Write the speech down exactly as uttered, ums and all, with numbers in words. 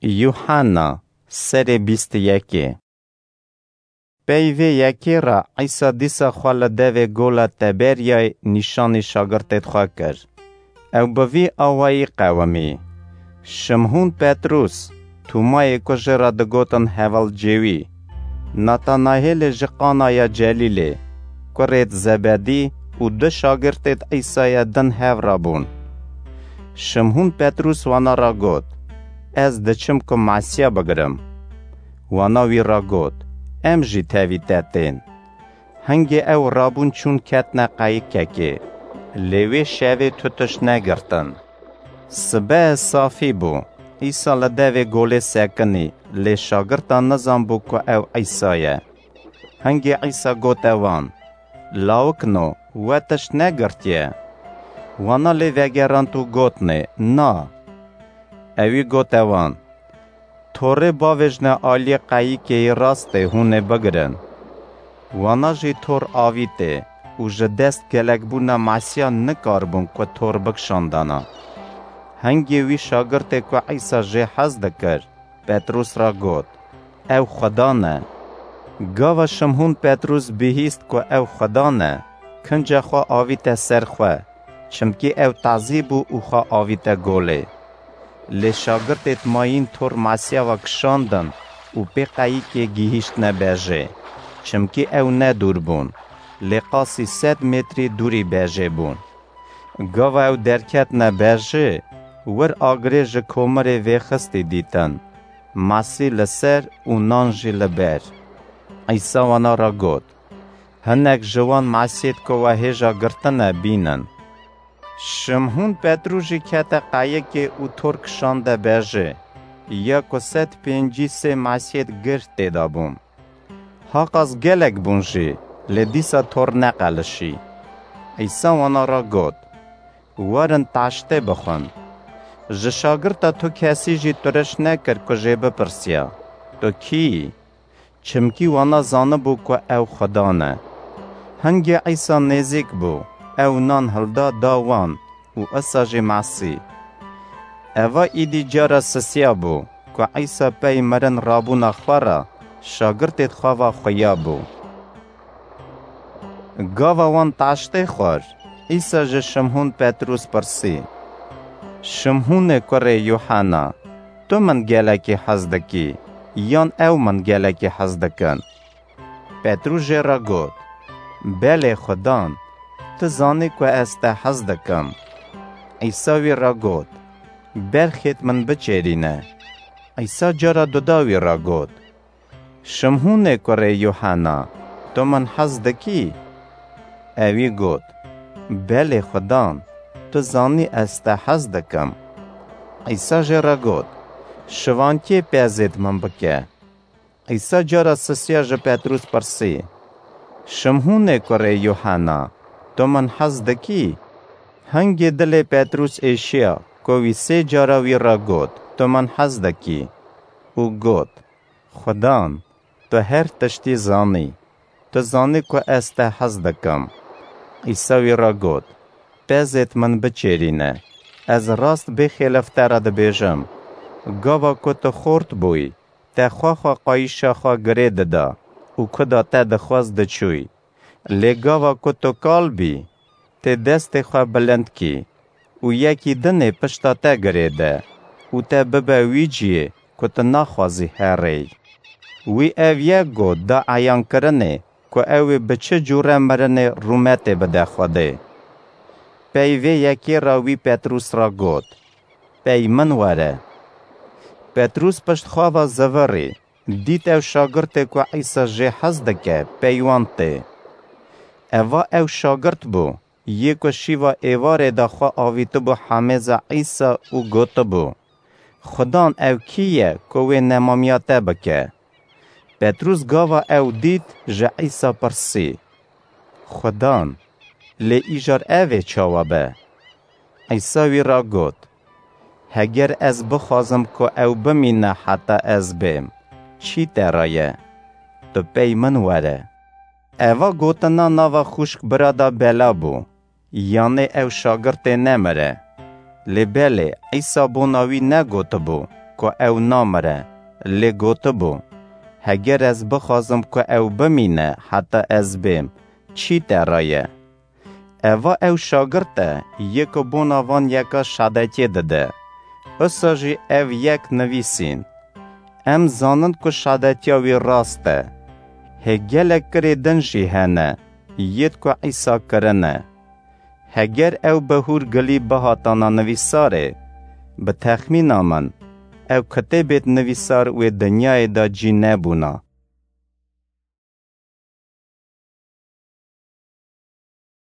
Yuhanna, serê bîst û yekê. Pey vê yekê re Îsa dîsa xwe li devê gola Teberyayê nîşanî şagirtêd xwe kir. Ew bi vî awayî qewimî: Şimhûn Petrûs, Tûmayê ku jê re digotin Hevalcêwî, Natanahêlê ji Qanaya Celîlê, kurêd Zebedî û du şagirtêd Îsayê din hev re bûn. Şimhûn Petrûs wana re got: Ez diçim ku Mesîya bigirim. Wana wî re got: Em jî tevî te tên. Hingê ew rabûn çûn ketine qeyikekê, lê wê şevê tu tişt negirtin. Sibe safî bû, Îsa li devê golê sekinî, lê şagirtan nizanbû ku ew Îsa ye. Hingê Îsa gote wan: Lawikno, we tişt negirtiye? Wana lê vegerand û gotnê: Na. Ewî gote wan: Torê bavêjne aliyê qeyikê yê rastê hûn ê bigirin. Wana jî tor avîtê û ji dest gelekbûna Mesîya nikaribûn ku tor bikişandana. Hingê wî şagirtê ku Îsa jê hez dikir, Petrûs re got: Ew Xudan e. Gava Şimhûn Petrûs bihîst ku ew Xudan e, kince xwe avîte ser xwe, çimkî ew tazî bû û xwe avîte golê. Lê şagirtêd mayîn tor Mesîya ve kişandin û pê qeyikê gihîştine bejê, çimkî ew ne dûr bûn, lê qasî sed metrî dûrî bejê bûn. Gava ew derketine bejê, wir agirê ji komirê vêxistî dîtin, masî li ser û nan jî li ber. Îsa wana re got: Hinek ji wan masiyêd ku we hêja girtine bînin. Şimhûn Petrû jî kete qeyikê û tor kişande bejê, ya ku sed pêncî sê masiyêd gird tê de bûn. Haqas gelek bûn jî, lê dîsa tor neqelişî. Îsa wana re got: Werin taştê bixwin. Ji şagirta tu kesî jî turiş nekir ku jê bipirsiya: Tu kî yî? Çimkî wana zanibû ku ew Xudan e. Hingê Îsa nêzîk bû, ew nan hilda da wan û isa jî masî. Eva îdî cara sisiya bû ku Îsa pey mirin rabûna xwe re şagirtêd xwe ve xuya bû. Gava wan taştê xwar, Îsa ji Şimhûn Petrûs pirsî: Şimhûnê kurê Yuhena, tu min gelekî hez dikî, yan ew min gelekî hez dikin? Petrûs jê re got: Belê Xudan, tu zanî ku ez te hez dikim. Îsa wî re got: Berxêd min biçêrîne. Îsa cara duda wî re got: Şimhûnê kurê Yuhena, tu min hez dikî? Ewî got: Belê Xudan, tu zanî ez te hez dikim. Îsa jê re got: Şivankê pezêd min bike. Îsa cara sisiya ji Petrûs pirsî: Şimhûnê kurê Yuhena, tu min hez dikî? Hingê dilê Petrûs êşiya ku wî sê cara wî re got: Tu min hez dikî? Û got: Xudan, tu her tiştî zanî. Tu zanî ku ez te hez dikim. Îsa wî re got: Pezêd min biçêrîne. Ez rast bêxêlef te re dibêjim, gava ku tu xort bûyî, te xwe xwe qayîşa xwe girê dida û kuda te dixwest diçûyî. Lê gava ku tu kal bî, tê destê xwe bilind kî û yekî din ê pişta te girê de û te bibe wî ciyê ku tu naxwazî herêy. Wî ev yek got da eyankirinê ku ew ê bi çi cûre mirinê rûmetê bide Xwedê. Pey vê yekê re wî Petrûs re got: Pey min were. Petrûs pişt xwe ve zivirî, dît ew şagirtê ku Îsa jê hez dike pey wan tê. Eva ew şagirt bû, yê ku şîva êvarê de xwe avîtibû hemêza Îsa û gotibû: Xudan, ew kî ye ku wê nemamiya te bike? Petrûs gava ew dît, ji Îsa pirsî: Xudan, lê îcar ev ê çawa be? Îsa wî re got: Heger ez bixwazim ku ew bimîne heta ez bêm, çî te re ye? Tu pey min were. Eva gotina nava xwişk bira de bela bû, yanê ew şagirtê nemire. Lê belê, Îsa bona wî negotibû: ku ew namire, lê gotibû, "Heger ez bixwazim ku ew bimîne heta ez bêm, çî te re ye?" Eva ew şagirt e, yê ku bona van yeka şadetiyê dide. Usa jî ev yek nivîsîn. Em zanin ku şadetiya wî rast e. Hê gelek kirê din jî hene, yêd ku Îsa kirine. Heger ew bi hûrgilî bihatana nivîsarê, bi texmîna min, ew kitêbêd nivîsar wê dinyayê de cî nebûna.